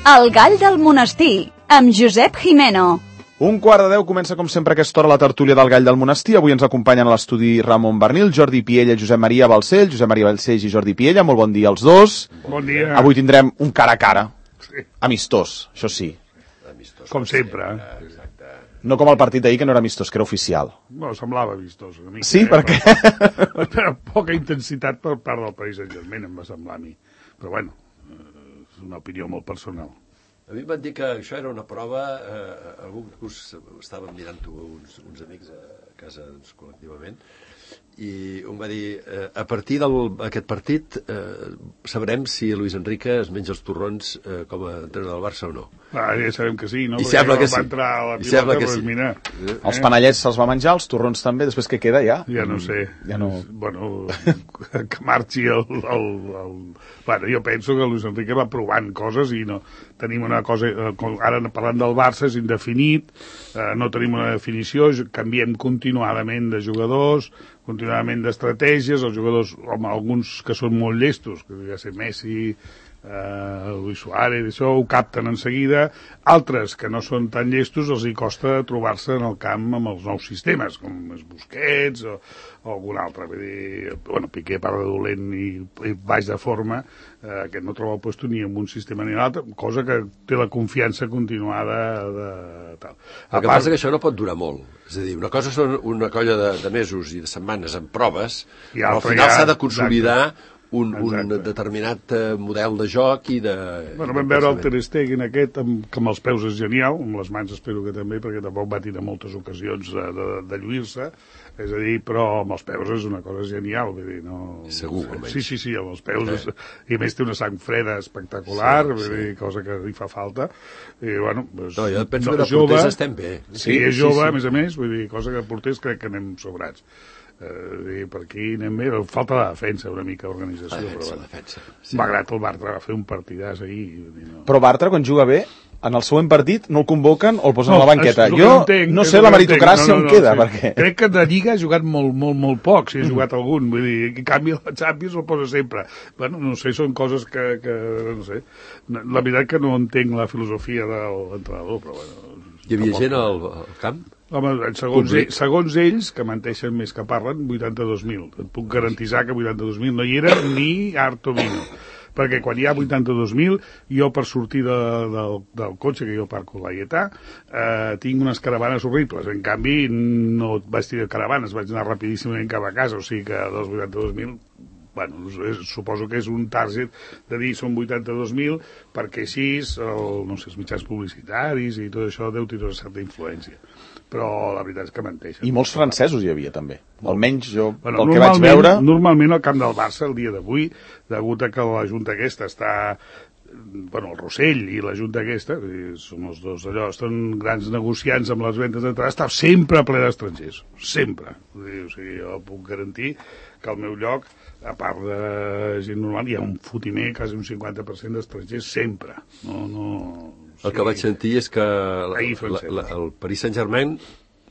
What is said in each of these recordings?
El gall del monestir, amb Josep Jimeno. 11:45 comença com sempre a aquesta hora la tertúlia del gall del monestir. Avui ens acompanyen a l'estudi Ramon Bernil, Jordi Piella, Josep Maria Balcells. Josep Maria Balcells i Jordi Piella, molt bon dia als dos. Bon dia. Avui tindrem un cara a cara, amistós, això sí. Amistós, com sempre. No com el partit d'ahir, que no era amistós, que era oficial. No, semblava amistós una mica. Sí, per què? Per poca intensitat per part del Paris Saint-Germain, em va semblar a mi. Però bueno, és una opinió molt personal. A mi em van dir que això era una prova, algun curs estàvem mirant-ho uns amics a casa col·lectivament, i em va dir, a partir d'aquest partit sabrem si Luis Enrique es menja els torrons com a entrenador del Barça o no. Ja sabem que sí, no? I sembla que sí. Va entrar a la pilota, que doncs sí. mira. Els panellets se'ls va menjar, els torrons també, després què queda ja? Ja no sé. Ja no... Bueno, que marxi Bueno, jo penso que Luis Enrique va provant coses i no tenim una cosa... Ara parlant del Barça és indefinit, no tenim una definició, canviem continuadament de jugadors, continuadament d'estratègies, els jugadors, home, alguns que són molt llestos, que ja sé, Messi, Luis Suárez, això ho capten en seguida, altres que no són tan llestos els hi costa trobar-se en el camp amb els nous sistemes, com és Busquets o algun altre. Vull dir, bueno, Piqué part de dolent i baix de forma, que no troba el puesto ni en un sistema ni en l'altre, cosa que té la confiança continuada de tal. El que passa que això no pot durar molt. És a dir, una cosa són una colla de mesos i de setmanes en proves, però al final s'ha de consolidar un determinat model de joc i de... Bueno, vam veure el Ter Stegen aquest, que amb els peus és genial, amb les mans espero que també, perquè tampoc va tenir moltes ocasions de lluir-se, és a dir, però amb els peus és una cosa genial, vull dir, no... Segur, almenys. Sí, amb els peus, i a més té una sang freda espectacular, vull dir, cosa que li fa falta, i bueno... No, jo penso que de porters estem bé. Sí, és jove, a més, vull dir, cosa que de porters crec que anem sobrats. Per aquí anem bé, falta la defensa una mica d'organització, defensa. Sí. Malgrat el Bartra va fer un partidàs ahir, no. Però Bartra quan juga bé, en el següent partit no el convoquen o el posen a la banqueta. Jo no sé la meritocràcia on queda, perquè... Crec que de Lliga ha jugat molt poc, si ha jugat algun, vull dir, en canvi la Champions el posa sempre. Bueno, no sé, són coses que no sé, la veritat que no entenc la filosofia de l'entrenador, però bueno... Hi havia gent al camp? Home, segons ells, que menteixen més que parlen, 82.000. Et puc garantitzar que 82.000 no hi era ni Arto Vino. Perquè quan hi ha 82.000, jo per sortir del cotxe, que jo parco a Laietà, tinc unes caravanes horribles. En canvi, no vaig tenir caravanes, vaig anar rapidíssimament cap a casa, o sigui que dels 82.000... Bueno, suposo que és un target de dir són 82.000 perquè així no sé, els mitjans publicitaris i tot això deu tenir una certa influència, però la veritat és que menteixen. I molts francesos hi havia també, almenys jo del que vaig veure. Normalment al camp del Barça el dia d'avui, degut a que la junta aquesta està, bueno, el Rossell i la junta aquesta, són els dos allò, estan grans negociants amb les ventes d'entrada, està sempre ple d'estrangers, sempre. O sigui, jo puc garantir que al meu lloc, a part de gent normal, hi ha un fotimer, quasi un 50% d'estrangers, sempre. El que vaig sentir és que el Paris Saint-Germain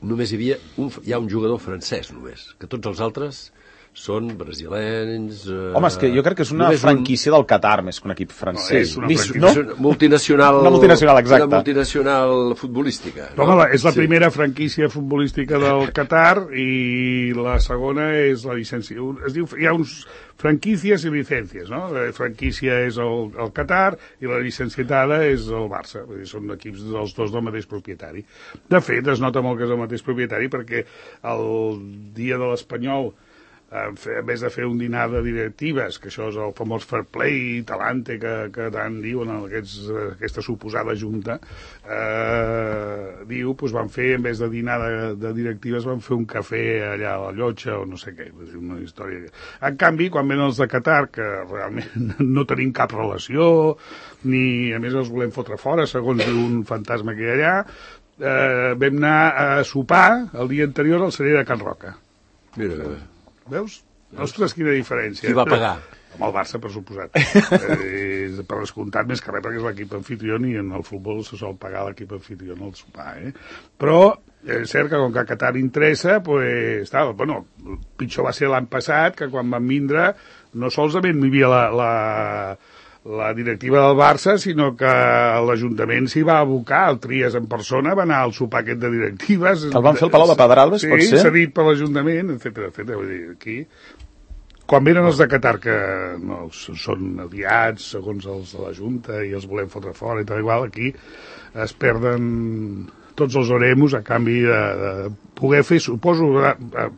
només hi ha un jugador francès, només, que tots els altres són brasilens... Home, és que jo crec que és una franquícia del Qatar més que un equip francès. No, és una multinacional... Una multinacional, exacte. Una multinacional futbolística. Home, és la primera franquícia futbolística del Qatar i la segona és la llicència. Es diu, hi ha uns franquícies i llicències, no? La franquícia és el Qatar i la llicenciatada és el Barça. Vull dir, són equips dels dos del mateix propietari. De fet, es nota molt que és el mateix propietari perquè el dia de l'Espanyol, en vez de fer un dinar de directives, que això és el famós fair play, talante, que tant diuen aquesta suposada junta, doncs van fer, en vez de dinar de directives, van fer un cafè allà a la Llotja o no sé què, una història. En canvi, quan venen els de Qatar, que realment no tenim cap relació, ni a més els volem fotre fora, segons un fantasma que hi ha allà, vam anar a sopar el dia anterior al celler de Can Roca. Mira, veus? Ostres, quina diferència. Qui va pagar? Amb el Barça, per suposat. Per descomptat, més que res, perquè és l'equip anfitrió i en el futbol se sol pagar l'equip anfitrió en el sopar, Però és cert que com que a Qatar interessa, pues, bueno, pitjor va ser l'any passat, que quan van vindre no solament hi havia la directiva del Barça, sinó que l'Ajuntament s'hi va abocar, el Trias en persona va anar al sopar aquest de directives. Que el van fer al Palau de Pedralbes, pot ser? Sí, cedit per l'Ajuntament, etc. Vull dir, aquí... Quan venen els de Qatar, que no, són aliats, segons els de la Junta, i els volem fotre fora i tal igual, aquí es perden tots els oremos a canvi de poder fer, suposo,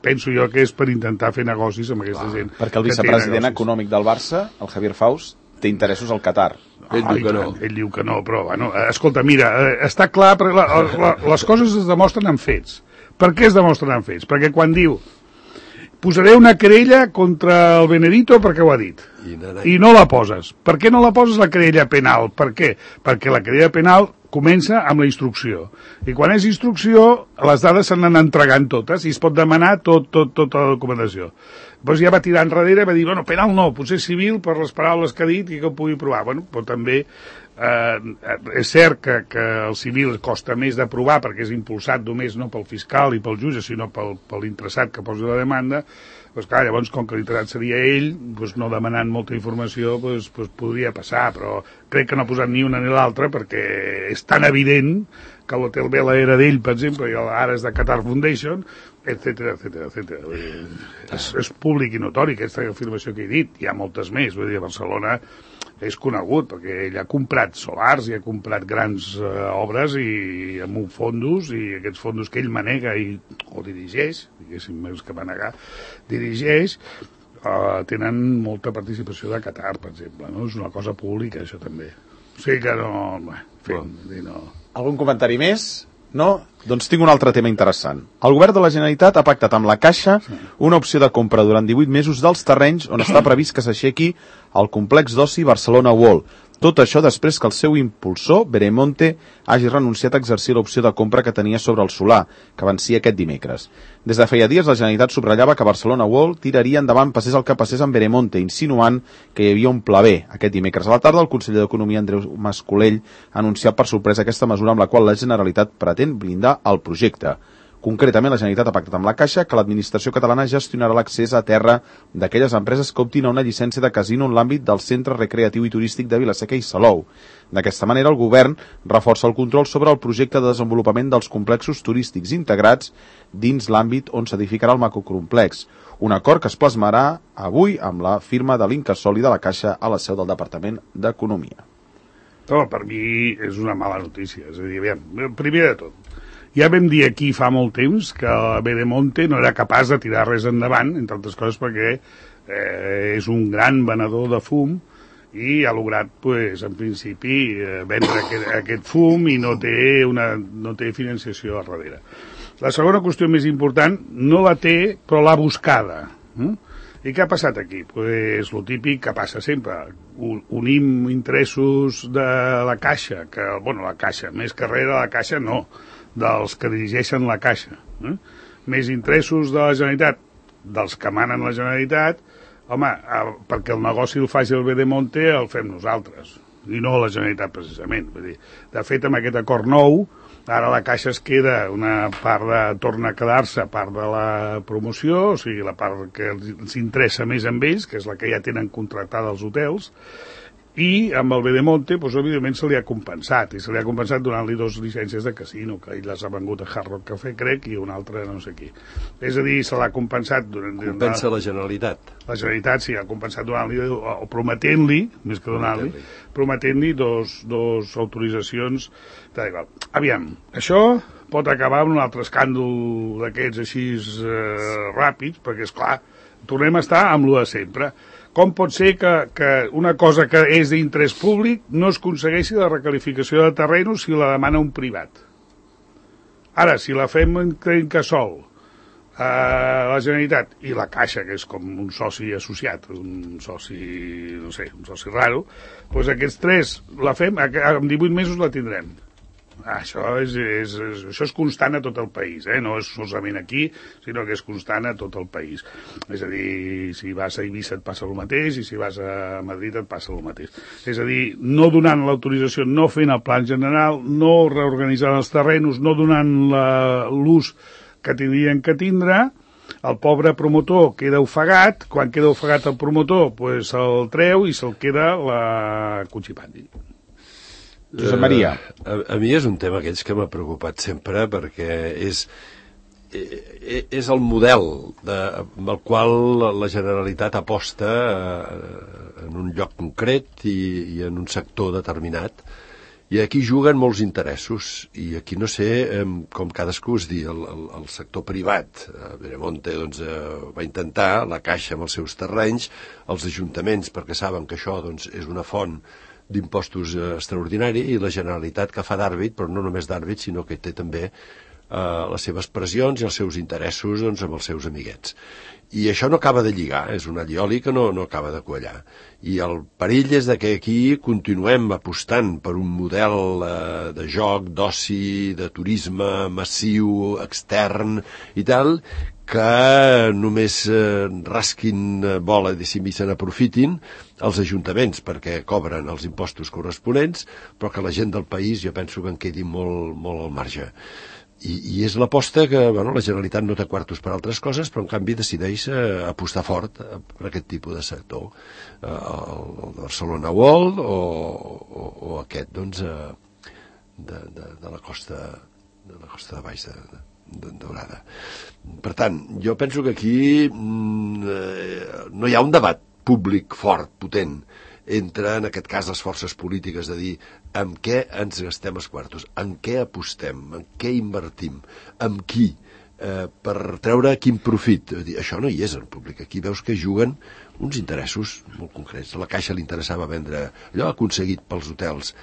penso jo que és per intentar fer negocis amb aquesta gent. Perquè el vicepresident econòmic del Barça, el Javier Faust, té interessos al Qatar. Ell diu que no, però, bueno, escolta, mira, està clar, les coses es demostren amb fets. Per què es demostren amb fets? Perquè quan diu posaré una querella contra el Benedito perquè ho ha dit. I no la poses. Per què no la poses la querella penal? Per què? Perquè la querella penal comença amb la instrucció. I quan és instrucció, les dades s'han d'anar entregant totes i es pot demanar tota la documentació. Llavors ja va tirar enrere i va dir, bueno, penal no, potser civil per les paraules que ha dit i que ho pugui provar. Bueno, però també és cert que el civil costa més de provar perquè és impulsat només no pel fiscal i pel jutge, sinó per l'interessat que posa la demanda. Doncs clar, llavors, com que l'interessat seria ell, doncs no demanant molta informació, doncs podria passar, però crec que no ha posat ni una ni l'altra perquè és tan evident que l'Hotel Vela era d'ell, per exemple, i ara és de Qatar Foundation, etc. És públic i notori aquesta afirmació que he dit. Hi ha moltes més. Vull dir, a Barcelona és conegut perquè ell ha comprat solars i ha comprat grans obres i amb fondos, i aquests fondos que ell manega o dirigeix, diguéssim, més que manegar, dirigeix, tenen molta participació de Qatar, per exemple, no? És una cosa pública, això també. O sigui que no... no. Algun comentari més? No? Doncs tinc un altre tema interessant. El govern de la Generalitat ha pactat amb la Caixa una opció de compra durant 18 mesos dels terrenys on està previst que s'aixequi el complex d'oci Barcelona World. Tot això després que el seu impulsor, Veremonte, hagi renunciat a exercir l'opció de compra que tenia sobre el solar, que vencia aquest dimecres. Des de feia dies, la Generalitat subratllava que Barcelona World tiraria endavant passés el que passés amb Veremonte, insinuant que hi havia un pla B. Aquest dimecres a la tarda, el conseller d'Economia, Andreu Mas-Colell, ha anunciat per sorpresa aquesta mesura amb la qual la Generalitat pretén blindar el projecte. Concretament, la Generalitat ha pactat amb la Caixa que l'administració catalana gestionarà l'accés a terra d'aquelles empreses que optin a una llicència de casino en l'àmbit del centre recreatiu i turístic de Vila-seca i Salou. D'aquesta manera, el govern reforça el control sobre el projecte de desenvolupament dels complexos turístics integrats dins l'àmbit on s'edificarà el macrocomplex. Un acord que es plasmarà avui amb la firma de l'Incasòl i de la Caixa a la seu del Departament d'Economia. No, per mi és una mala notícia. És a dir, primer de tot, ja vam dir aquí fa molt temps que Veremonte no era capaç de tirar res endavant, entre altres coses perquè és un gran venedor de fum i ha lograt, pues, en principi, vendre aquest fum i no té financiació a darrere. La segona qüestió més important no la té, però l'ha buscada. I què ha passat aquí? Pues lo típic que passa sempre. Unim interessos de la Caixa, la Caixa, més que res de la Caixa no, dels que dirigeixen la Caixa. Més interessos de la Generalitat, dels que manen la Generalitat, home, perquè el negoci el faci el Veremonte el fem nosaltres, i no la Generalitat precisament. Vull dir, de fet, amb aquest acord nou, ara la Caixa es queda una part torna a quedar-se part de la promoció, o sigui, la part que els interessa més amb ells, que és la que ja tenen contractada els hotels, i amb el Veremonte, doncs, evidentment, se li ha compensat, i se li ha compensat donant-li 2 llicències de casino, que ell les ha vengut a Hard Rock Café, crec, i una altra no sé qui. És a dir, se l'ha compensat... Compensa la Generalitat. La Generalitat, sí, ha compensat donant-li, o prometent-li, més que donant-li, prometent-li dos autoritzacions. Aviam, això pot acabar amb un altre escàndol d'aquests així ràpids, perquè, esclar, tornem a estar amb lo de sempre. Com pot ser que una cosa que és d'interès públic no es aconsegueixi la recalificació de terrenos si la demana un privat? Ara, si la fem en Incasòl, la Generalitat i la Caixa, que és com un soci associat, un soci, no sé, un soci raro, doncs aquests tres la fem, en 18 mesos la tindrem. Això és constant a tot el país, no és solament aquí, sinó que és constant a tot el país. És a dir, si vas a Eivissa et passa el mateix, i si vas a Madrid et passa el mateix. És a dir, no donant l'autorització, no fent el plan general, no reorganitzant els terrenos, no donant l'ús que tindrien que tindre, el pobre promotor queda ofegat, quan queda ofegat el promotor pues se'l treu i se'l queda la Cuchipandi. Josep Maria. A mi és un tema aquells que m'ha preocupat sempre perquè és el model amb el qual la Generalitat aposta en un lloc concret i en un sector determinat, i aquí juguen molts interessos, i aquí no sé com cadascú es dir, el sector privat, Veremonte doncs, va intentar, la Caixa amb els seus terrenys, els ajuntaments perquè saben que això doncs, és una font d'impostos extraordinari, i la Generalitat que fa d'àrbit, però no només d'àrbit, sinó que té també les seves pressions i els seus interessos doncs, amb els seus amiguets. I això no acaba de lligar, és un allioli que no acaba de quallar. I el perill és que aquí continuem apostant per un model de joc, d'oci, de turisme massiu, extern i tal, que només rasquin bola i se n'aprofitin els ajuntaments perquè cobren els impostos corresponents, però que la gent del país jo penso que en quedi molt, molt al marge. I és l'aposta que la Generalitat no té quartos per altres coses, però en canvi decideix apostar fort per aquest tipus de sector. El Barcelona World o aquest doncs, de la costa de baix de Daurada. Per tant, jo penso que aquí no hi ha un debat públic fort, potent, entre, en aquest cas, les forces polítiques, de dir amb què ens gastem els quartos, en què apostem, en què invertim, amb qui, per treure quin profit. Això no hi és en públic. Aquí veus que juguen uns interessos molt concrets. A la Caixa li interessava vendre allò, ha aconseguit pels hotels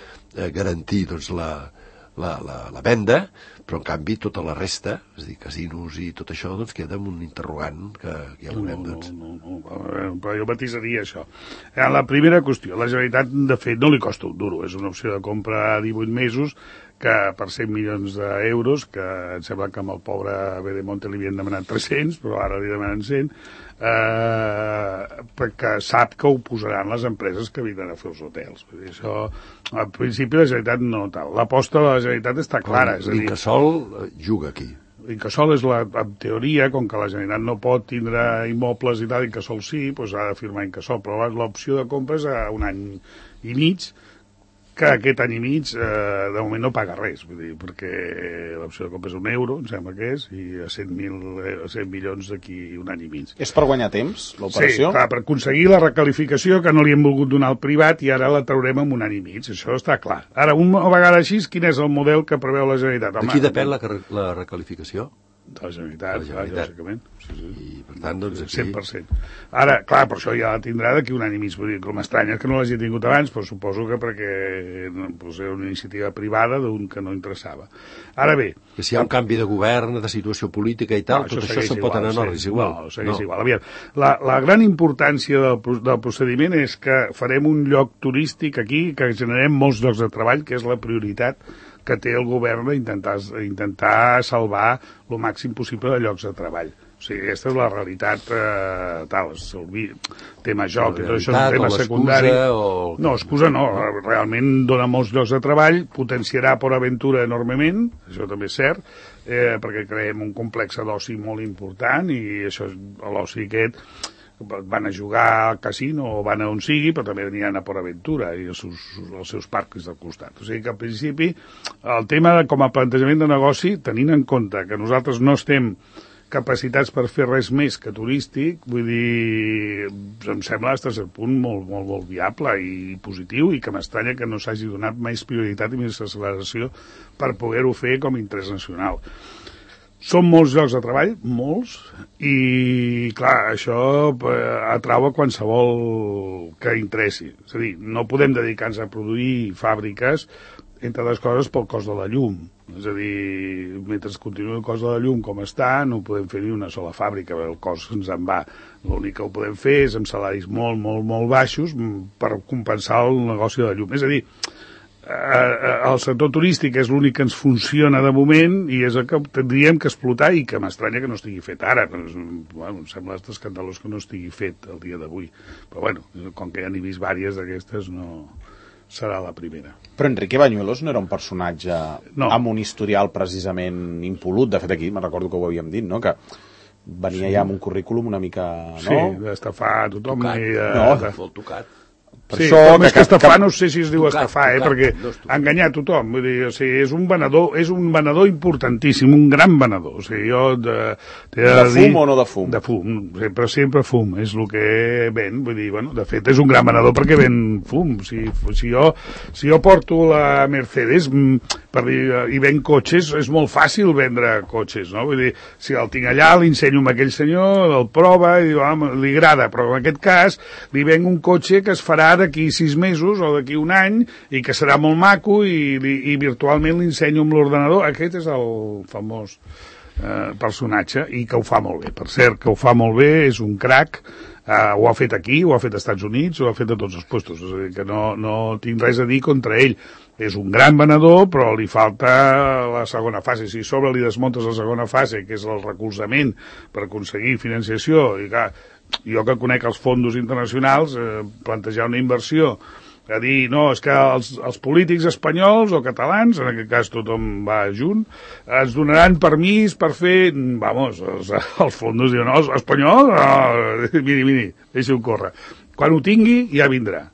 garantir doncs, la venda, però en canvi tota la resta, és a dir, casinos i tot això, doncs queda amb un interrogant que ja veurem, doncs. No, però jo matisaria això. La primera qüestió, la Generalitat, de fet, no li costa un duro, és una opció de compra a 18 mesos, que per 100 milions d'euros, que em sembla que amb el pobre Veremonte li havien demanat 300, però ara li demanen 100, perquè sap que ho posaran les empreses que vindran a fer els hotels. Vull dir, això, al principi la Generalitat no tal. L'aposta de la Generalitat està clara. L'Incasòl juga aquí. L'Incasòl és, en teoria, com que la Generalitat no pot tindre immobles i tal, Incasòl sí, doncs ha de firmar Incasòl, però l'opció de compra és a un any i mig, que aquest any i mig de moment no paga res, vull dir, perquè l'opció de compra és €1, em sembla que és, i a 100 milions d'aquí un any i mig. És per guanyar temps, l'operació? Sí, clar, per aconseguir la recalificació que no li hem volgut donar al privat i ara la traurem en un any i mig, això està clar. Ara, una vegada així, quin és el model que preveu la Generalitat? De qui depèn la recalificació? De la Generalitat, clar, lògicament. Sí. I, per tant, doncs, aquí... 100%. Ara, clar, per això ja la tindrà d'aquí un any i mig. Vull dir, com m'estranya que no l'hagi tingut abans, però suposo que perquè era una iniciativa privada d'un que no interessava. Ara bé... Que si hi ha un canvi de govern, de situació política i tal, tot això se'n pot anar en ordre, és igual. No, segueix igual. Aviam, la gran importància del procediment és que farem un lloc turístic aquí, que generem molts llocs de treball, que és la prioritat que té el govern d'intentar salvar el màxim possible de llocs de treball. O sigui, aquesta és la realitat tal, el tema joc, tot això és un tema secundari. No, excusa no, realment dona molts llocs de treball, potenciarà Port Aventura enormement, això també és cert, perquè creem un complex d'oci molt important i això, l'oci aquest van a jugar al casino o van a on sigui, però també aniran a Port Aventura i els seus parcs del costat. O sigui que al principi el tema com a plantejament de negoci, tenint en compte que nosaltres no estem capacitats per fer res més que turístic, vull dir, em sembla fins a cert punt molt viable i positiu, i que m'estranya que no s'hagi donat més prioritat i més acceleració per poder-ho fer com a interès nacional. Són molts llocs de treball, molts, i clar, això atrau a qualsevol que interessi. És a dir, no podem dedicar-nos a produir fàbriques, entre les coses, pel cost de la llum. És a dir, mentre continuï el cost de la llum com està, no podem fer ni una sola fàbrica, el cost ens en va. L'únic que ho podem fer és amb salaris molt baixos per compensar el negoci de la llum. És a dir, el sector turístic és l'únic que ens funciona de moment i és el que tindríem que explotar i que m'estranya que no estigui fet ara. Em sembla escandalós que no estigui fet el dia d'avui. Però bueno, com que ja n'he vist diverses d'aquestes, no serà la primera. Però Enrique Bañuelos no era un personatge amb un historial precisament impolut. De fet, aquí me'n recordo que ho havíem dit, no? Que venia ja amb un currículum una mica, no? Sí, d'estafar tothom. Molt tocat. Sí, com és que estafar, no sé si es diu estafar, perquè enganyar tothom, vull dir, o sigui, és un venedor importantíssim, un gran venedor, o sigui, jo de fum o no de fum? De fum, sempre fum, és el que ven, vull dir, bueno, de fet és un gran venedor perquè ven fum, si jo porto la Mercedes i ven cotxes, és molt fàcil vendre cotxes, no? Vull dir, si el tinc allà, l'ensenyo amb aquell senyor, el prova i diu, li agrada, però en aquest cas li venc un cotxe que es farà d'aquí 6 mesos o d'aquí un any i que serà molt maco i virtualment l'ensenyo amb l'ordenador. Aquest és el famós personatge i que ho fa molt bé. Per cert, que ho fa molt bé, és un crac, ho ha fet aquí, ho ha fet als Estats Units, ho ha fet a tots els puestos, és a dir, que no tinc res a dir contra ell. És un gran venedor, però li falta la segona fase. Si a sobre li desmuntes la segona fase, que és el recolzament per aconseguir financiació, i clar, jo que conec els fondos internacionals, plantejar una inversió, a dir, no, és que els polítics espanyols o catalans, en aquest cas tothom va junt, ens donaran permís per fer, vamos, els fondos diuen, no, espanyol, miri, deixi-ho córrer. Quan ho tingui, ja vindrà.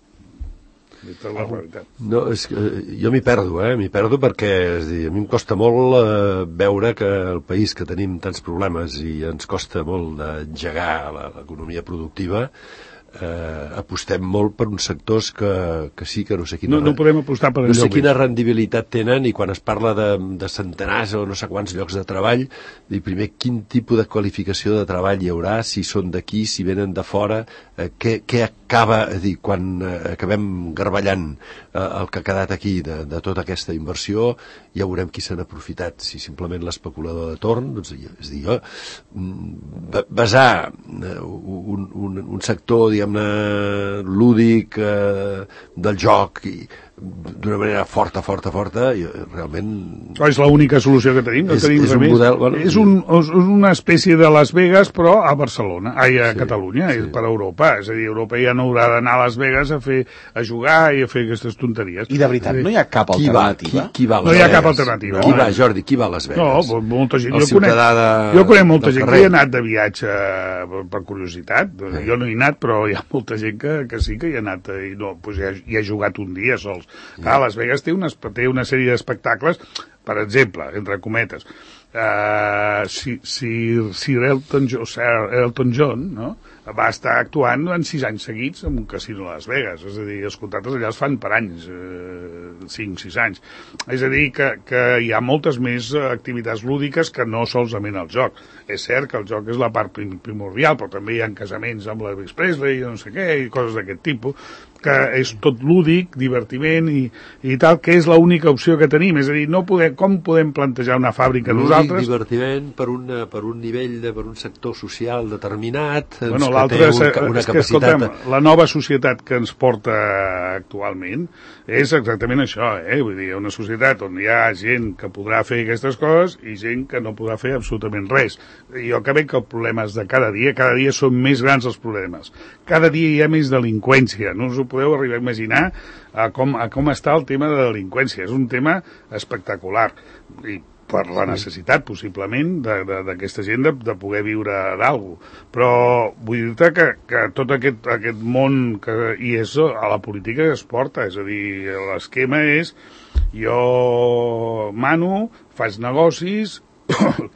Aquesta és la realitat. No, és que jo m'hi perdo perquè és dir, a mi em costa molt veure que el país que tenim tants problemes i ens costa molt d'engegar l'economia productiva, apostem molt per uns sectors que sí que no sé quina... No podem apostar per no sé quina rendibilitat tenen, i quan es parla de centenars o no sé quants llocs de treball, dir primer quin tipus de qualificació de treball hi haurà, si són d'aquí, si venen de fora, què acaba, quan acabem garballant el que ha quedat aquí de tota aquesta inversió, ja veurem qui se n'ha aprofitat, si simplement l'especulador de torn, doncs, és dir, basar un sector, diguem-ne, lúdic del joc i d'una manera forta, realment... És l'única solució que tenim, no tenim res més. És una espècie de Las Vegas, però a Barcelona, a Catalunya, per Europa. És a dir, Europa ja no haurà d'anar a Las Vegas a jugar i a fer aquestes tonteries. I de veritat, no hi ha cap alternativa? Qui va a Las Vegas? No hi ha cap alternativa. Qui va, Jordi, qui va a Las Vegas? No, molta gent. Jo conec molta gent que hi ha anat de viatge per curiositat. Jo no hi he anat, però hi ha molta gent que sí que hi ha anat i ha jugat un dia sols. Clar, Las Vegas té una sèrie d'espectacles, per exemple, entre cometes, Sir Elton John, no? Va estar actuant durant 6 anys seguits en un casino a Las Vegas, és a dir, els contractes allà es fan per anys, 5-6 anys. És a dir, que hi ha moltes més activitats lúdiques que no solament el joc. És cert que el joc és la part primordial, però també hi ha casaments amb l'Elvis Presley i no sé què, i coses d'aquest tipus, que és tot lúdic, divertiment i tal, que és l'única opció que tenim. És a dir, com podem plantejar una fàbrica nosaltres... Lúdic, divertiment, per un nivell, per un sector social determinat, bueno, l'altre és que, escolta'm, la nova societat que ens porta actualment és exactament això, vull dir, una societat on hi ha gent que podrà fer aquestes coses i gent que no podrà fer absolutament res. Jo crec que el problema és de cada dia són més grans els problemes. Cada dia hi ha més delinqüència, no us ho podeu arribar a imaginar a com està el tema de delinqüència. És un tema espectacular i per la necessitat, possiblement, d'aquesta gent de poder viure d'algú. Però vull dir-te que tot aquest món i és a la política que es porta, és a dir, l'esquema és jo mano, faig negocis,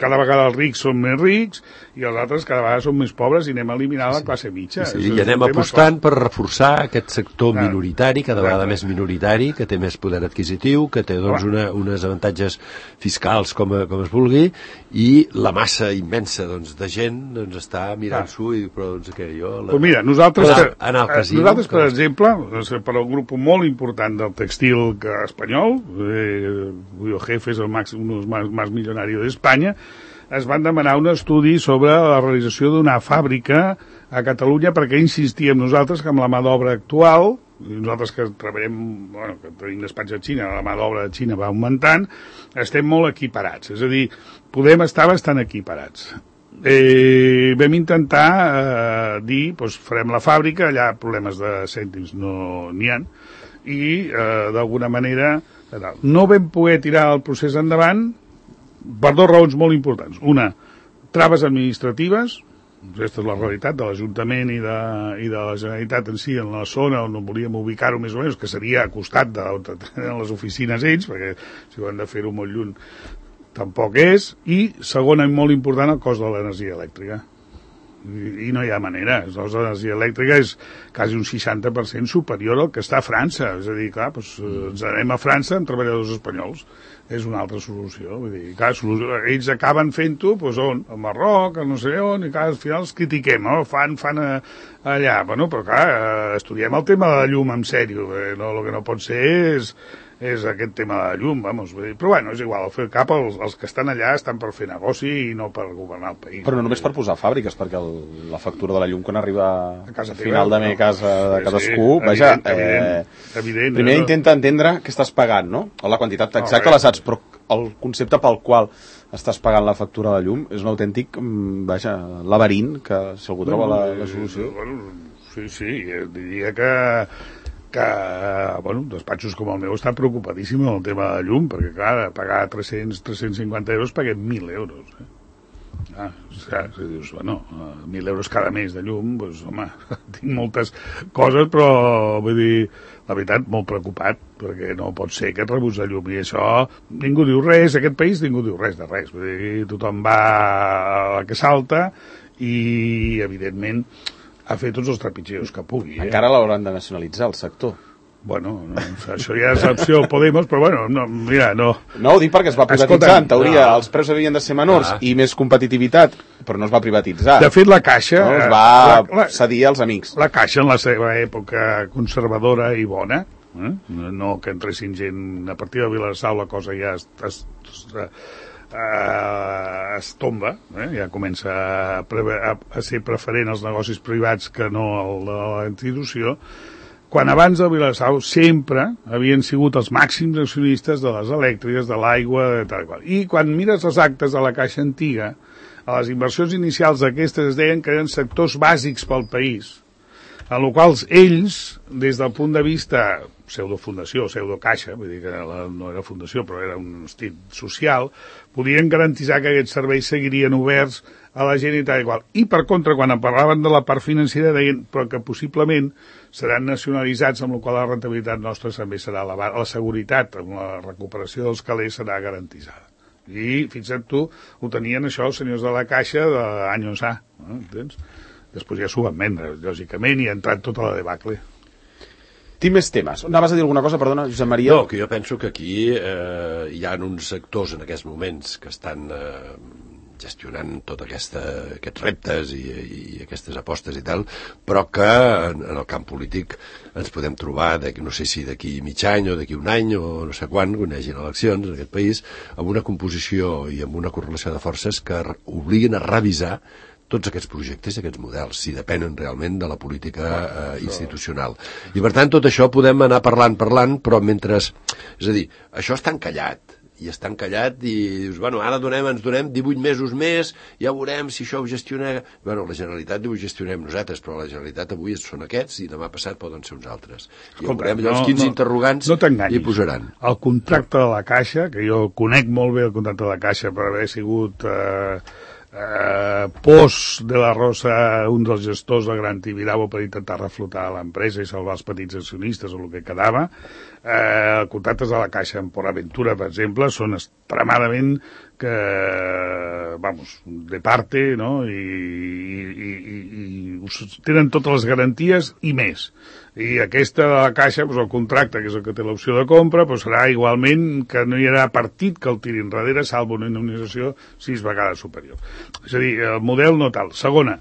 cada vegada els rics són més rics i els altres cada vegada són més pobres i anem a eliminar la classe mitja. I anem apostant per reforçar aquest sector minoritari, cada vegada més minoritari, que té més poder adquisitiu, que té uns avantatges fiscals com es vulgui, i la massa immensa de gent està mirant-s'ho i diu, però què, jo... Mira, nosaltres, per exemple, per al grup molt important del textil espanyol, Julio Jefe és un dels més milionaris d'Espanya, es van demanar un estudi sobre la realització d'una fàbrica a Catalunya perquè insistíem nosaltres que amb la mà d'obra actual, nosaltres que treballem, que tenim despatx a Xina, la mà d'obra de Xina va augmentant, estem molt equiparats, és a dir, podem estar bastant equiparats. Vam intentar dir, farem la fàbrica, allà problemes de cèntims no n'hi ha, i d'alguna manera no vam poder tirar el procés endavant per 2 raons molt importants. Una, traves administratives, aquesta és la realitat de l'Ajuntament i de la Generalitat en si, en la zona on volíem ubicar-ho més o menys, que seria a costat d'on tenen les oficines ells, perquè si ho han de fer-ho molt lluny tampoc és, i segona i molt important, el cost de l'energia elèctrica. I no hi ha manera. El cost de l'energia elèctrica és quasi un 60% superior al que està a França. És a dir, clar, doncs, ens anem a França amb treballadors espanyols. És una altra solució. Vull dir, clar, ells acaben fent-ho, doncs on? A Marroc, a no sé on, i clar, al final els critiquem, no? Fan allà. Bueno, però clar, estudiem el tema de la llum en sèrio. No, el que no pot ser és aquest tema de la llum, vamos. Però bueno, és igual, al fer cap, els que estan allà estan per fer negoci i no per governar el país. Però no només per posar fàbriques, perquè la factura de la llum quan arriba a final de mes a casa de cadascú, vaja, evident, primer intenta entendre què estàs pagant, no? O la quantitat exacta la saps, però el concepte pel qual estàs pagant la factura de llum és un autèntic, vaja, laberint, que si algú troba la solució... Sí, diria que despatxos com el meu estan preocupadíssims amb el tema de la llum, perquè clar, pagar 350 euros paguem 1.000 euros. Si dius, 1.000 euros cada mes de llum, doncs, home, tinc moltes coses, però vull dir, la veritat, molt preocupat, perquè no pot ser que et rebuts de llum, i això, ningú diu res, aquest país ningú diu res de res, vull dir, tothom va a la que salta, i, evidentment, a fer tots els trepitgeos que pugui. Encara l'hauran de nacionalitzar, el sector. Bueno, això ja és l'opció Podemos, però bueno, mira, no... No, ho dic perquè es va privatitzar, en teoria, els preus havien de ser menors i més competitivitat, però no es va privatitzar. De fet, la Caixa... No, es va cedir als amics. La Caixa, en la seva època conservadora i bona, no que entressin gent... A partir de Vilassau la cosa ja es tomba, ja comença a ser preferent als negocis privats que no la institució, quan abans de Vilassau sempre havien sigut els màxims accionistes de les elèctriques, de l'aigua, de tal i qual. I quan mires les actes de la Caixa antiga, a les inversions inicials d'aquestes es deien que eren sectors bàsics pel país, en els quals ells, des del punt de vista pseudofundació, pseudocaixa, vull dir que no era fundació, però era un estil social, podien garantitzar que aquests serveis seguirien oberts a la gent i tal i qual. I, per contra, quan parlaven de la part financera, deien però que possiblement seran nacionalitzats, amb la qual la rentabilitat nostra també serà elevada, la seguretat amb la recuperació dels calés serà garantitzada. I, fixa't tu, ho tenien això els senyors de la Caixa d'anys A, entens? Després ja s'ho van vendre, lògicament, i ha entrat tota la debacle. Tinc més temes. Anaves a dir alguna cosa, perdona, Josep Maria? No, que jo penso que aquí hi ha uns sectors en aquests moments que estan gestionant tots aquests reptes i aquestes apostes i tal, però que en el camp polític ens podem trobar, no sé si d'aquí mig any o d'aquí un any o no sé quan hi hagin eleccions en aquest país, amb una composició i amb una correlació de forces que obliguin a revisar tots aquests projectes i aquests models, si depenen realment de la política institucional. I per tant, tot això podem anar parlant, però mentre... És a dir, això està encallat, i dius, bueno, ara ens donem 18 mesos més, ja veurem si això ho gestiona... Bueno, la Generalitat diu ho gestionem nosaltres, però la Generalitat avui són aquests i demà passat poden ser uns altres. I veurem allò, els 15 interrogants hi posaran. El contracte de la Caixa, que jo conec molt bé el contracte de la Caixa per haver sigut... Pos de la Rosa, un dels gestors de Gran Tibidabo per intentar reflotar l'empresa i salvar els petits accionistes o el que quedava. Contractes de la Caixa en PortAventura, per exemple, són extremadament de parte, no? I tenen totes les garanties i més. I aquesta de la Caixa, el contracte, que és el que té l'opció de compra, serà igualment que no hi haurà partit que el tiri enrere, salvo una indemnització 6 vegades superior. És a dir, el model no tal. Segona,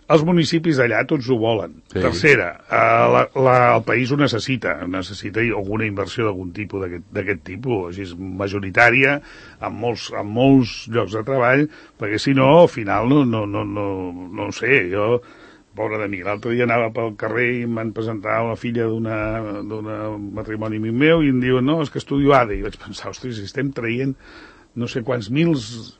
els municipis d'allà tots ho volen. Sí. Tercera, el país ho necessita alguna inversió d'algun tipus d'aquest tipus, així majoritària, amb molts llocs de treball, perquè si no, al final no sé, jo... Pobre de mi, l'altre dia anava pel carrer i em van presentar una filla d'un matrimoni meu i em diuen, no, és que estudio ADE. I vaig pensar, ostres, si estem traient no sé quants mils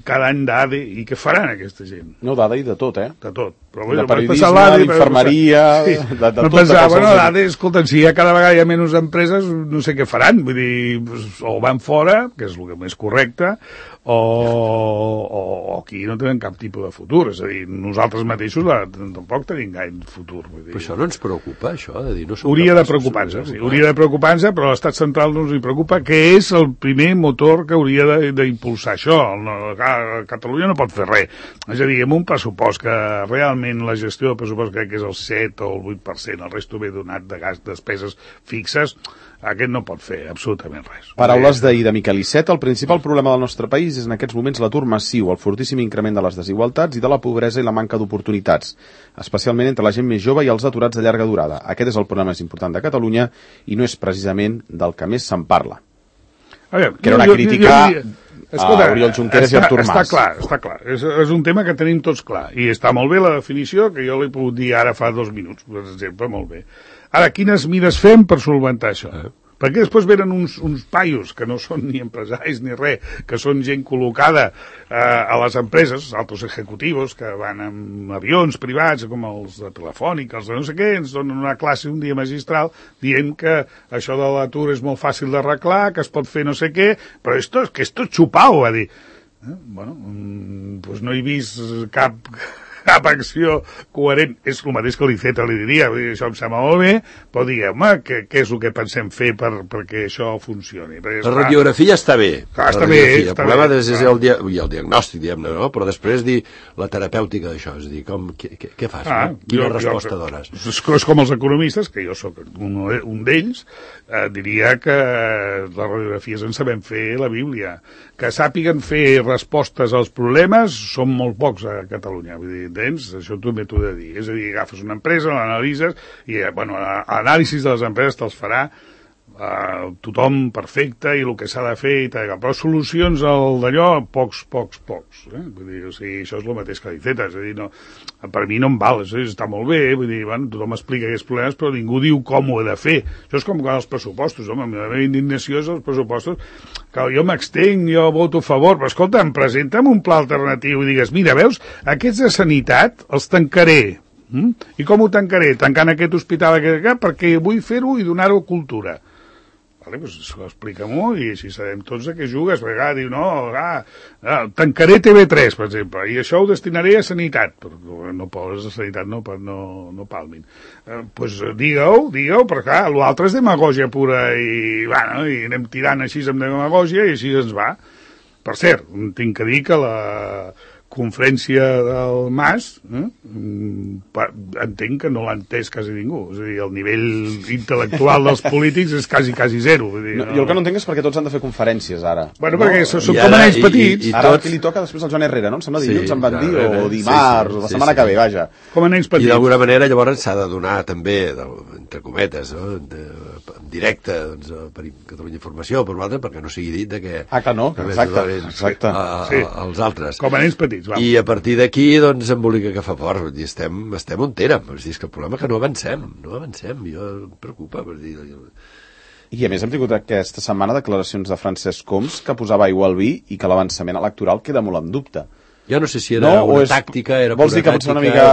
cada any d'ADE, i què faran aquesta gent? No, d'ADE i de tot, De tot. Però, de periodisme, d'infermeria, de tot. Pensava, bueno, l'ADE, escolta, si cada vegada hi ha menys empreses, no sé què faran, vull dir, o van fora, que és el més correcte, o aquí no tenen cap tipus de futur, és a dir, nosaltres mateixos tampoc tenim gaire futur. Vull dir. Però això no ens preocupa, això, de dir... Hauria de preocupar-se, sí, hauria de preocupar-se, però l'estat central no ens hi preocupa, que és el primer motor que hauria d'impulsar això. Catalunya no pot fer res. És a dir, amb un pressupost que realment la gestió del pressupost crec que és el 7 o el 8%, el resto ve donat de despeses fixes, aquest no pot fer absolutament res. Paraules d'ahir de Miquel Iceta, el principal problema del nostre país és en aquests moments l'atur massiu, el fortíssim increment de les desigualtats i de la pobresa i la manca d'oportunitats, especialment entre la gent més jove i els aturats de llarga durada. Aquest és el problema més important de Catalunya i no és precisament del que més se'n parla. Que era una crítica a Oriol Junqueras i Artur Mas. Està clar. És un tema que tenim tots clar. I està molt bé la definició, que jo l'he pogut dir ara fa 2 minuts, per exemple, molt bé. Ara, quines mides fem per solventar això? Perquè després venen uns paios que no són ni empresaris ni res, que són gent col·locada a les empreses, altos executius que van amb avions privats, com els de Telefònica, els de no sé què, ens donen una classe un dia magistral dient que això de l'atur és molt fàcil d'arreglar, que es pot fer no sé què, però que esto és xupau, va dir. Bueno, doncs no he vist cap acció coherent. És el mateix que l'Iceta li diria, això em sembla molt bé, però diguem, què és el que pensem fer perquè això funcioni? La radiografia està bé. Està bé. El problema és el diagnòstic, diguem-ne, no? Però després dir la terapèutica d'això, és a dir, què fas? Quina resposta dones? És com els economistes, que jo sóc un d'ells, diria que les radiografies en sabem fer la Bíblia. Que sàpiguen fer respostes als problemes són molt pocs a Catalunya, vull dir, entens? Això també t'ho he de dir. És a dir, agafes una empresa, l'analitzes, i, bueno, l'anàlisi de les empreses te'ls farà tothom perfecte i el que s'ha de fer i tal, però solucions d'allò, pocs. Vull dir, o sigui, això és el mateix que l'Iceta, és a dir, no, per mi no em val, està molt bé, vull dir, bueno, tothom explica aquests problemes, però ningú diu com ho he de fer. Això és com els pressupostos, home, la meva indignació és els pressupostos, que jo m'extenc, jo voto a favor, però escolta, presenta'm un pla alternatiu i digues, mira, veus, aquests de sanitat els tancaré. I com ho tancaré? Tancant aquest hospital perquè vull fer-ho i donar-ho cultura. Vale, doncs explica-m'ho i així sabem tots a què jugues, perquè diu, tancaré TV3, per exemple, i això ho destinaré a sanitat, però no pobres de sanitat no palmin. Doncs digue-ho, perquè l'altre és demagògia pura i anem tirant així amb demagògia i així ens va. Per cert, tinc que dir que la conferència del Mas entenc que no l'ha entès quasi ningú, és a dir, el nivell intel·lectual dels polítics és quasi zero, vull dir, jo el que no entenc és perquè tots han de fer conferències ara. Bueno, perquè són com a nens petits. Ara qui li toca després al Joan Herrera, no? Em sembla dilluns em van dir, o dimarts, o la setmana que ve, vaja. Com a nens petits. I d'alguna manera llavors s'ha de donar també, entre cometes, en directe, per Catalunya Informació, per l'altre, perquè no sigui dit que... que no, exacte. Els altres. Com a nens petits. I a partir d'aquí, doncs, embolica que fa fort. Estem on érem. És que el problema és que no avancem. Jo em preocupa. I a més hem tingut aquesta setmana declaracions de Francesc Homs que posava aigua al vi i que l'avançament electoral queda molt en dubte. Ja no sé si era una tàctica, era vols dir que potser una mica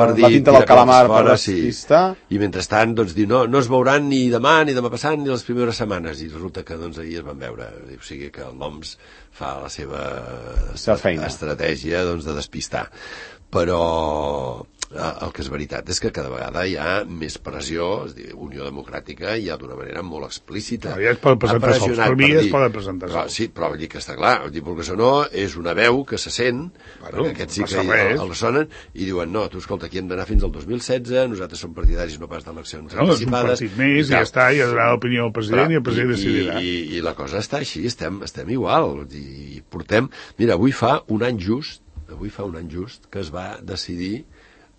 la tinta del calamar per despistar? I mentrestant, doncs, dir, no es veuran ni demà, ni demà passant, ni les primeres setmanes. I resulta que, doncs, ahir es van veure. O sigui que l'OMS fa la seva estratègia, doncs, de despistar. Però el que és veritat és que cada vegada hi ha més pressió, és a dir, Unió Democràtica ja d'una manera molt explícita. Ja es poden presentar sols, per mi ja es poden presentar sols. Sí, però vull dir que està clar, perquè si no és una veu que se sent, perquè aquests sí que el sonen, i diuen, no, tu escolta, aquí hem d'anar fins al 2016, nosaltres som partidaris no pas d'eleccions anticipades. És un partit més, i ja està, i ha donat l'opinió al president, i el president decidirà. I la cosa està així, estem igual, i portem... Mira, avui fa un any just que es va decidir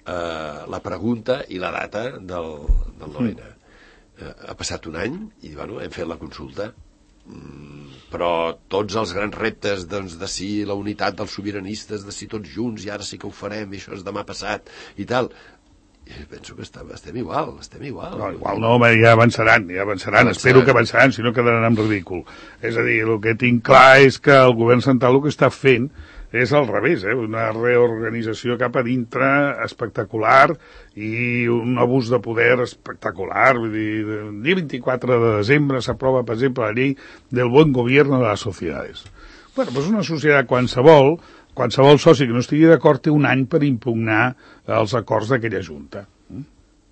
la pregunta i la data del 9-N. Ha passat un any i, bueno, hem fet la consulta. Però tots els grans reptes, doncs, de si la unitat dels sobiranistes, de si tots junts, i ara sí que ho farem, i això és demà passat, i tal, I penso que estem igual. No, igual no, home, ja avançaran, espero que avançaran, si no quedaran en ridícul. És a dir, el que tinc clar és que el govern central el que està fent és al revés, una reorganització cap a dintre espectacular i un abús de poder espectacular. Vull dir, el dia 24 de desembre s'aprova, per exemple, la llei del buen gobierno de las sociedades. Bueno, doncs una societat qualsevol soci que no estigui d'acord té un any per impugnar els acords d'aquella junta.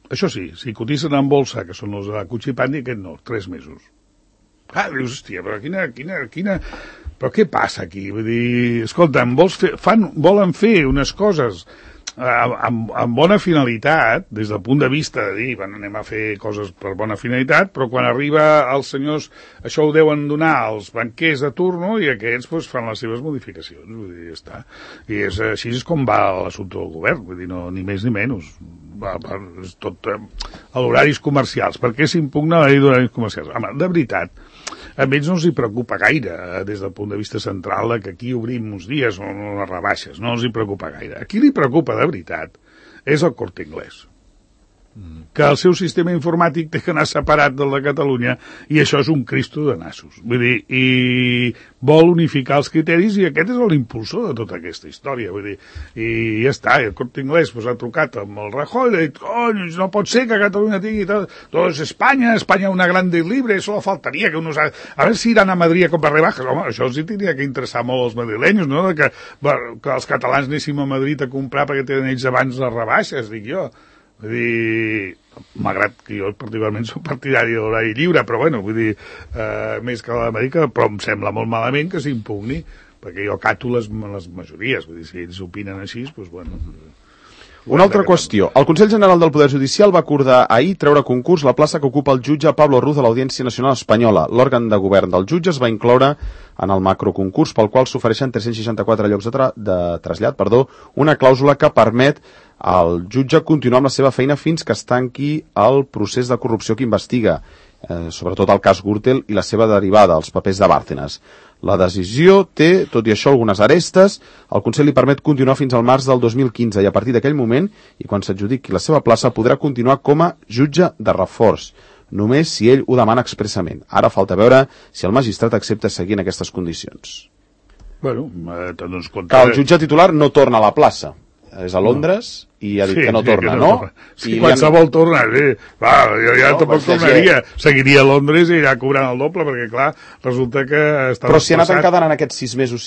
Això sí, si cotitzen en bolsa, que són els de la Cuchipandi, aquest no, 3 mesos. Dius, hòstia, però quina... Però què passa aquí? Vull dir, escolta'm, volen fer unes coses amb bona finalitat, des del punt de vista de dir, bueno, anem a fer coses per bona finalitat, però quan arriba els senyors, això ho deuen donar als banquers de turno i aquests doncs, fan les seves modificacions. Vull dir, ja està. I així és com va l'assumpte del govern, vull dir, no, ni més ni menys. És tot a l'horaris comercials. Per què s'impugna la llei d'horaris comercials? Home, de veritat, a ells no els hi preocupa gaire, des del punt de vista central, que aquí obrim uns dies o les rebaixes, no els hi preocupa gaire. A qui li preocupa de veritat és el Corte Inglés, que el seu sistema informàtic té que anar separat del de Catalunya i això és un cristo de nassos. Vull dir, i vol unificar els criteris i aquest és l'impulsor de tota aquesta història. Vull dir, i ja està, el Corte Inglés pues, ha trucat amb el Rajoy i ha dit, no pot ser que Catalunya tingui tot Espanya una grande y libre, solo faltaria que unos... A ver si iran a Madrid a comprar rebajas. Home, això els tindria que interessar molt als madrilenyos, no? Que els catalans anéssim a Madrid a comprar perquè tenen ells abans les rebaixes, dic jo. Vull dir, malgrat que jo particularment soc partidari de l'horari lliure, però bueno, vull dir, més que l'Amèrica, però em sembla molt malament que s'impugni, perquè jo acato les majories, vull dir, si ells opinen així, doncs bueno... Una altra qüestió. El Consell General del Poder Judicial va acordar ahir treure a concurs la plaça que ocupa el jutge Pablo Ruz a l'Audiència Nacional Espanyola. L'òrgan de govern del jutge es va incloure en el macroconcurs pel qual s'ofereixen 364 llocs de trasllat, una clàusula que permet al jutge continuar amb la seva feina fins que es tanqui el procés de corrupció que investiga, sobretot el cas Gürtel i la seva derivada, els papers de Bárcenas. La decisió té, tot i això, algunes arestes. El Consell li permet continuar fins al març del 2015 i a partir d'aquell moment, i quan s'adjudiqui la seva plaça, podrà continuar com a jutge de reforç, només si ell ho demana expressament. Ara falta veure si el magistrat accepta seguir en aquestes condicions. Bueno, doncs que el jutge titular no torna a la plaça. És a Londres i ha dit que no torna, no? Sí, qualsevol torna, sí. Jo ja tampoc tornaria. Seguiria a Londres i irà cobrant el doble, perquè, clar, resulta que... Però si ha anat quedant en aquests 6 mesos,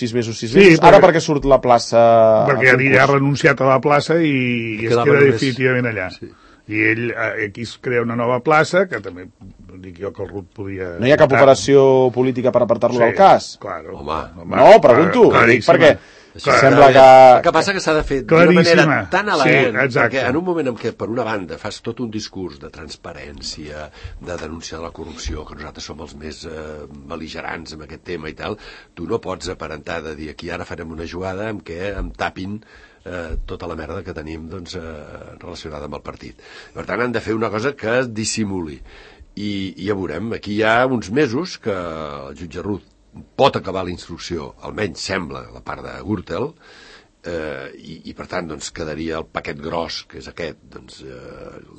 ara perquè surt la plaça... Perquè ja ha renunciat a la plaça i es queda definitivament allà. I ell aquí es crea una nova plaça, que també dic jo que el RUT podia... No hi ha cap operació política per apartar-lo del cas? Claro. Home, no, pregunto, dic perquè... Sembla que... El que passa que s'ha de fer d'una manera tan elegant, perquè en un moment en què, per una banda, fas tot un discurs de transparència, de denunciar la corrupció, que nosaltres som els més bel·ligerants en aquest tema i tal, tu no pots aparentar de dir aquí ara farem una jugada en què em tapin tota la merda que tenim doncs, relacionada amb el partit. Per tant, han de fer una cosa que es dissimuli. I ja veurem, aquí hi ha uns mesos que el jutge Ruz pot acabar la instrucció, almenys sembla, la part de Gürtel, i per tant doncs, quedaria el paquet gros, que és aquest, doncs,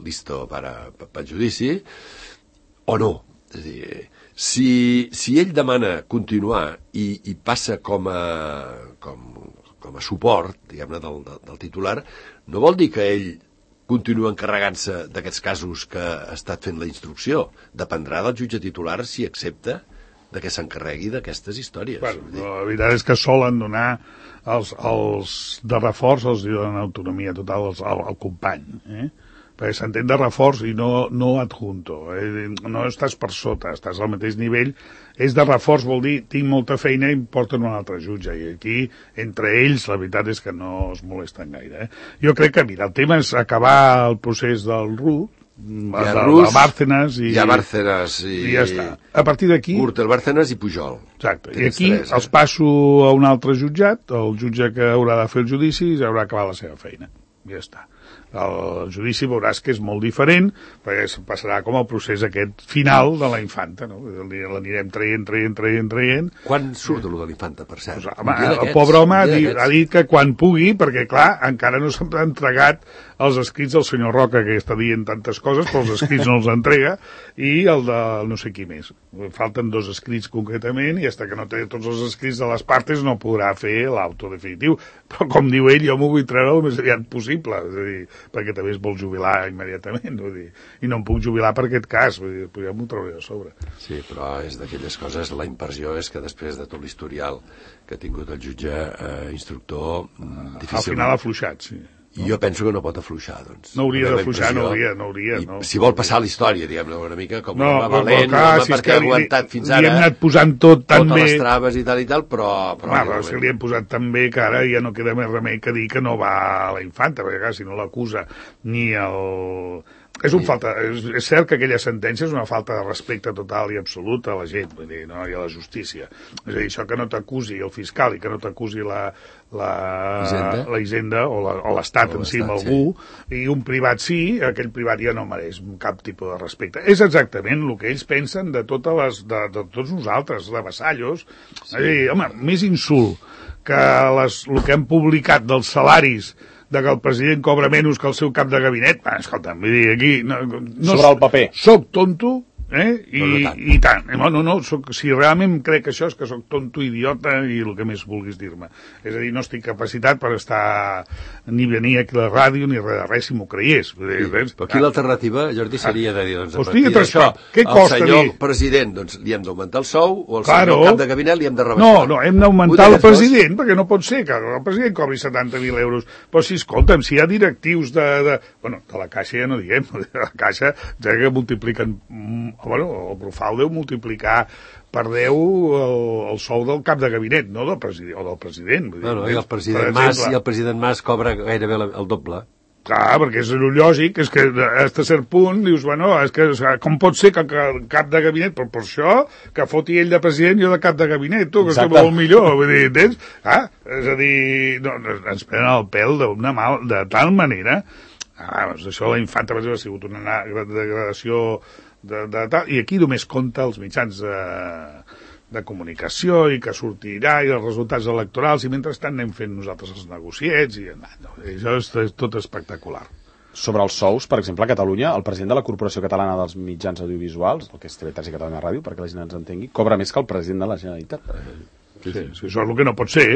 listo per judici, o no. És a dir, si ell demana continuar i passa com a suport, diguem-ne, del titular, no vol dir que ell continua encarregant-se d'aquests casos que ha estat fent la instrucció. Dependrà del jutge titular si accepta de què s'encarregui d'aquestes històries. Bueno, la veritat és que solen donar els de reforç, els donen autonomia total al company, perquè s'entén de reforç i no adjunto, no estàs per sota, estàs al mateix nivell. És de reforç, vol dir, tinc molta feina i em porten un altre jutge, i aquí, entre ells, la veritat és que no es molesten gaire. Jo crec que, mira, el tema és acabar el procés del RUT, Bárcenas i ja està. A partir d'aquí Gürtel, Bárcenas i Pujol. Exacte. I aquí els passo a un altre jutjat, el jutge que haurà de fer el judici i haurà acabat la seva feina. Ja està. el judici veuràs que és molt diferent, perquè passarà com el procés aquest final de la infanta, no? L'anirem traient. Quan surt de lo de l'infanta, per cert? Pues, home, el pobre home ha dit que quan pugui, perquè clar, encara no s'ha entregat els escrits del senyor Roca, que està dient tantes coses, però els escrits no els entrega, i el de no sé qui més. Falten 2 escrits concretament, i fins que no té tots els escrits de les partes no podrà fer l'auto definitiu. Però com diu ell, jo m'ho vull treure el més aviat possible, és a dir, perquè també es vol jubilar immediatament, vull dir, i no em puc jubilar per aquest cas, vull dir, ja m'ho trauré de sobre. Sí, però és d'aquelles coses, la impressió és que després de tot l'historial que ha tingut el jutge instructor, difícilment... Al final ha afluixat, sí. I jo penso que no pot afluixar, doncs. No hauria d'afluixar, no hauria. No. Si vol passar la història, diguem-ne, una mica com no, un valent, clar, home, perquè ha aguantat fins ara... Li hem anat posant tot tan bé... Totes les traves i tal, però si li hem posat tan bé que ara ja no queda més remei que dir que no va a la infanta, perquè clar, si no l'acusa ni el... És cert que aquella sentència és una falta de respecte total i absolut a la gent, vull dir, no? I a la justícia. És a dir, això que no t'acusi el fiscal i que no t'acusi la Hisenda o l'Estat en si amb algú, i un privat sí, aquell privat ja no mereix cap tipus de respecte. És exactament el que ells pensen de tots nosaltres, de vassallos. És a dir, home, més insult que el que han publicat dels salaris de que el president cobra menys que el seu cap de gabinet, escolta'm, vull dir, aquí... Sobre el paper. Soc tonto, i tant. No, si realment crec que això és que soc tonto, idiota i el que més vulguis dir-me. És a dir, no estic capacitat per estar ni venir aquí a la ràdio ni res si m'ho creiés. Però aquí l'alternativa, Jordi, seria de dir, doncs, a partir d'això, el senyor president, doncs, li hem d'augmentar el sou, o el senyor cap de gabinet li hem de rebaixar. No, hem d'augmentar el president, perquè no pot ser que el president cobri 70.000 euros. Però si, escolta'm, si hi ha directius de la Caixa ja no diguem, de la Caixa ja que multipliquen... el Brufau deu multiplicar per 10 el sou del cap de gabinet, no del president. I el president Mas cobra gairebé el doble. Clar, perquè és lògic, és que a cert punt dius, és que com pot ser que el cap de gabinet, però per això, que foti ell de president i jo de cap de gabinet, tu, que és molt millor, vull dir, entens? És a dir, ens prenen el pèl de tal manera, això la infanta ha sigut una degradació i aquí només compta els mitjans de comunicació i que sortirà i els resultats electorals i mentrestant anem fent nosaltres els negociets i això és tot espectacular. Sobre els sous, per exemple, a Catalunya, el president de la Corporació Catalana dels Mitjans Audiovisuals, el que és TV3 i Catalunya Ràdio, perquè la gent ens entengui, cobra més que el president de la Generalitat. Sí, això és el que no pot ser.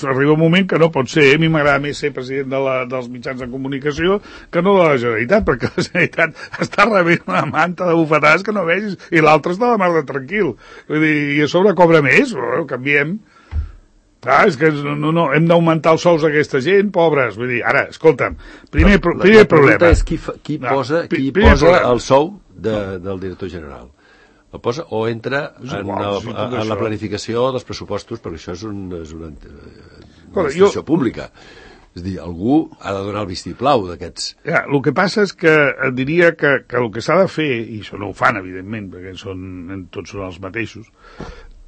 Arriba un moment que no pot ser. A mi m'agrada més ser president dels mitjans de comunicació que no de la Generalitat, perquè la Generalitat està rebent una manta de bufetades que no vegis, i l'altre està de mar de tranquil. Vull dir, i a sobre cobra més, canviem. És que no, hem d'augmentar els sous d'aquesta gent, pobres. Vull dir, ara, escolta'm, primer problema. La pregunta és qui posa el sou del director general. El posa o entra en la planificació dels pressupostos, perquè això és una administració pública. És a dir, algú ha de donar el vistiplau d'aquests. El que passa és que diria que el que s'ha de fer, i això no ho fan, evidentment, perquè tots són els mateixos,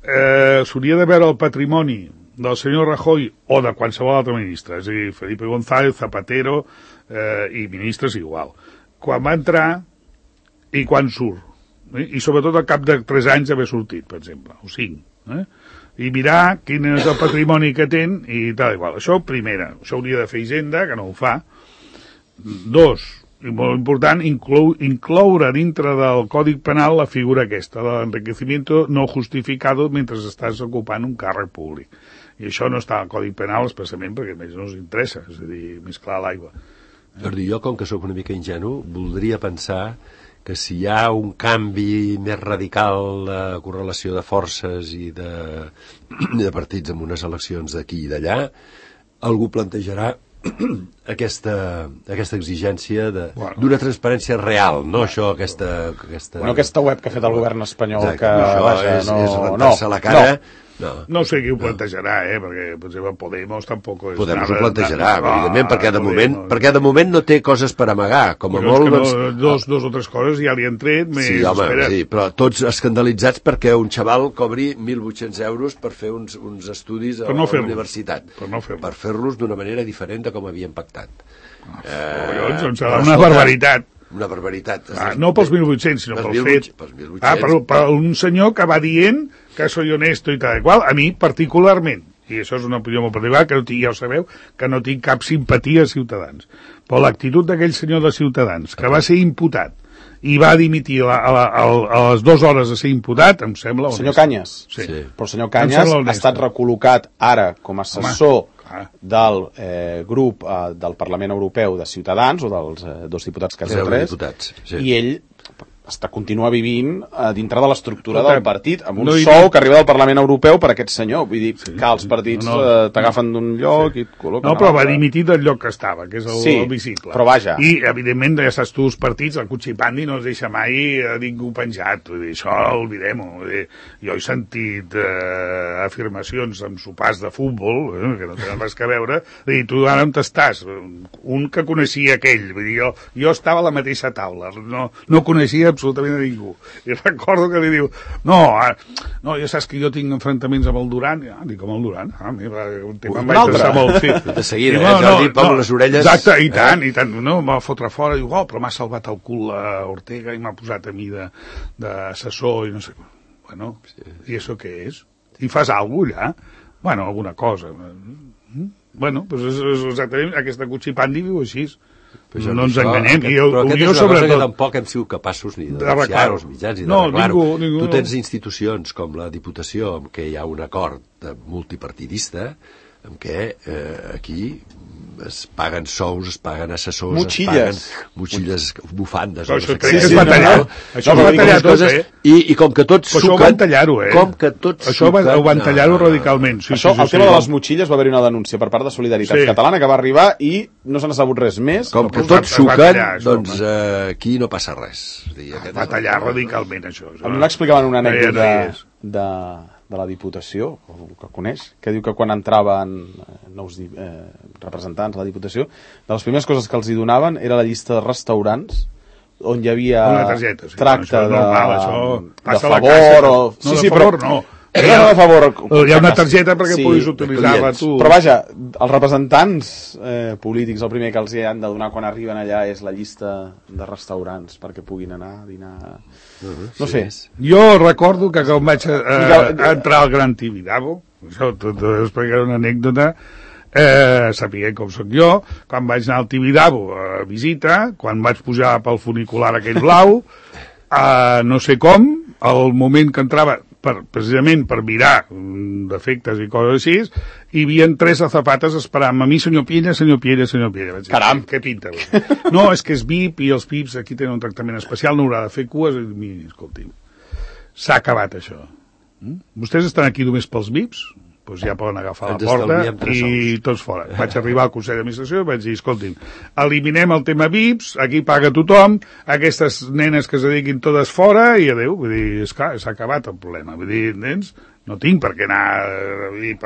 s'hauria de veure el patrimoni del senyor Rajoy o de qualsevol altre ministre, és a dir, Felipe González, Zapatero i ministres igual. Quan va entrar i quan surt. I sobretot al cap de 3 anys d'haver sortit, per exemple, o 5. I mirar quin és el patrimoni que ten i tal igual. Això, primera, això hauria de fer Hisenda, que no ho fa. 2, i molt important, incloure dintre del Còdic Penal la figura aquesta, de l'enriquecimiento no justificado mentre estàs ocupant un càrrec públic. I això no està al Còdic Penal especialment perquè més no us interessa, és a dir, més clar l'aigua. Jordi, jo, com que sóc una mica ingenu, voldria pensar que si hi ha un canvi més radical de correlació de forces i de partits en unes eleccions d'aquí i d'allà, algú plantejarà aquesta exigència d'una transparència real, no això, aquesta web que ha fet el govern espanyol. Exacte, que és rentar-se la cara. No sé qui ho plantejarà, perquè, per exemple, Podemos tampoc... Podemos ho plantejarà, evidentment, perquè de moment no té coses per amagar, com a molt... Dos o tres coses ja li han tret, sí, però tots escandalitzats perquè un xaval cobri 1.800 euros per fer uns estudis a la universitat, per fer-los d'una manera diferent de com havien pactat. Collons, em serà una barbaritat. Una barbaritat. No pels 1.800, sinó pel fet. Pels 1.800. Per un senyor que va dient que soy honesto i tal qual, a mi particularment, i això és una opinió molt particular, que ja ho sabeu, que no tinc cap simpatia a Ciutadans. Però l'actitud d'aquell senyor de Ciutadans, que va ser imputat, i va dimitir a les 2 hores de ser imputat, em sembla... El senyor Cañas. Sí. Però el senyor Cañas ha estat recol·locat ara com a assessor del grup del Parlament Europeu de Ciutadans, o dels 2 diputats que han tres, i ell continua vivint dintre de l'estructura del partit, amb un sou que arriba del Parlament Europeu per aquest senyor. Vull dir que els partits t'agafen d'un lloc i et col·loquen... No, però va dimitir del lloc que estava, que és el visible. Però vaja. I, evidentment, ja saps tu, els partits, el Cuchipandi no es deixa mai a ningú penjat. Vull dir, això olvidem-ho. Jo he sentit afirmacions amb sopars de futbol, que no tenen res que veure, dir, tu ara on estàs? Un que coneixia aquell. Vull dir, jo estava a la mateixa taula, no coneixia absolutament a ningú. I recordo que li diu, no, ja saps que jo tinc enfrontaments amb el Duran. Dic, amb el Duran? Un tema em vaig deixar molt fit. De seguida, Jordi, amb les orelles... Exacte, i tant, no, em va fotre fora, diu, però m'ha salvat el cul a Ortega i m'ha posat a mi d'assessor i no sé. Bueno, i això què és? I fas alguna cosa allà? Bueno, alguna cosa. Bueno, doncs és exactament, aquesta Cuchipandi viu així. No ens enganyem. Però aquesta és una cosa que tampoc hem sigut capaços ni de denunciar als mitjans i d'arreglar-ho. Tu tens institucions com la Diputació, en què hi ha un acord multipartidista, en què aquí es paguen sous, es paguen assessors, motxilles. Es paguen motxilles, bufandes... Això és batallar. Això ho van tallar tot, I com que tots suquen... Això ho van tallar-ho, Com que tots això ho van tallar-ho radicalment. El tema de les motxilles va haver una denúncia per part de Solidaritat Catalana que va arribar i no se n'ha sabut res més. Com que tots suquen, doncs aquí no passa res. Va tallar radicalment, això. A mi m'explicaven una anècdota de la Diputació, que coneix, que diu que quan entraven nous representants a la Diputació, de les primeres coses que els hi donaven era la llista de restaurants on hi havia tracte de favor o... No, de favor no. Hi ha una targeta perquè puguis utilitzar-la tu. Però vaja, els representants polítics el primer que els hi han de donar quan arriben allà és la llista de restaurants perquè puguin anar a dinar. No sé. Jo recordo que quan vaig entrar al Gran Tibidabo, això t'ho explicaré una anècdota, sapiguem com soc jo, quan vaig anar al Tibidabo a visita, quan vaig pujar pel funicular aquell blau, no sé com, al moment que entrava precisament per mirar defectes i coses així, hi havia 3 azafates esperant a mi, senyor Piella. Caram! Què pinta? No, és que és VIP i els VIPs aquí tenen un tractament especial, no haurà de fer cues. Miri, escolti'm, s'ha acabat això. Vostès estan aquí només pels VIPs? Doncs ja poden agafar la porta i tots fora. Vaig arribar al Consell d'Administració i vaig dir, escolti'm, eliminem el tema VIPs, aquí paga tothom, aquestes nenes que es dediquin totes fora i adeu. Vull dir, esclar, s'ha acabat el problema. Vull dir, nens, no tinc per què anar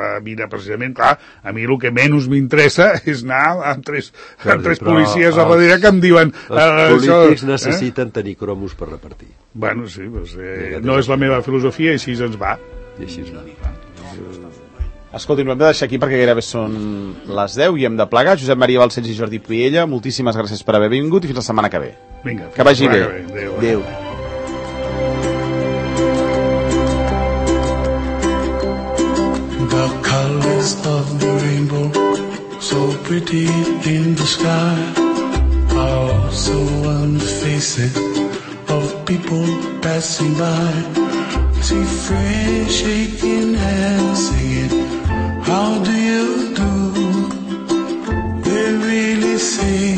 a mirar precisament, clar, a mi el que menys m'interessa és anar amb tres policies a darrere que em diuen... Els polítics necessiten tenir cromos per repartir. Bueno, sí, no és la meva filosofia i així ens va. I així ens va. Escolti'm, hem de deixar aquí perquè gairebé són les 10 i hem de plegar. Josep Maria Balcells i Jordi Piella, moltíssimes gràcies per haver vingut i fins la setmana que ve. Vinga, que vagi bé. Adéu. The colors of the rainbow, so pretty in the sky, are also on the faces of people passing by. See friends shaking hands, singing, how do you do? They really say